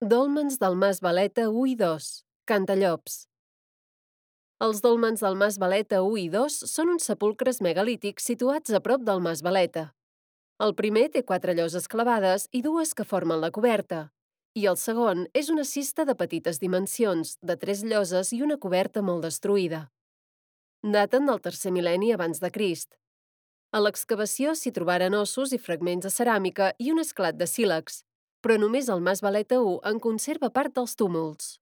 Dòlmens del Mas Valeta 1 i 2, Cantallops. Els dòlmens del Mas Valeta 1 i 2 són uns sepulcres megalítics situats a prop del Mas Valeta. El primer té 4 lloses clavades i 2 que formen la coberta, i el segon és una cista de petites dimensions, de 3 lloses i una coberta molt destruïda. Daten del tercer mil·lenni abans de Crist. A l'excavació s'hi trobaren ossos i fragments de ceràmica i un esclat de sílex, però només el Mas Valeta 1 en conserva part dels túmuls.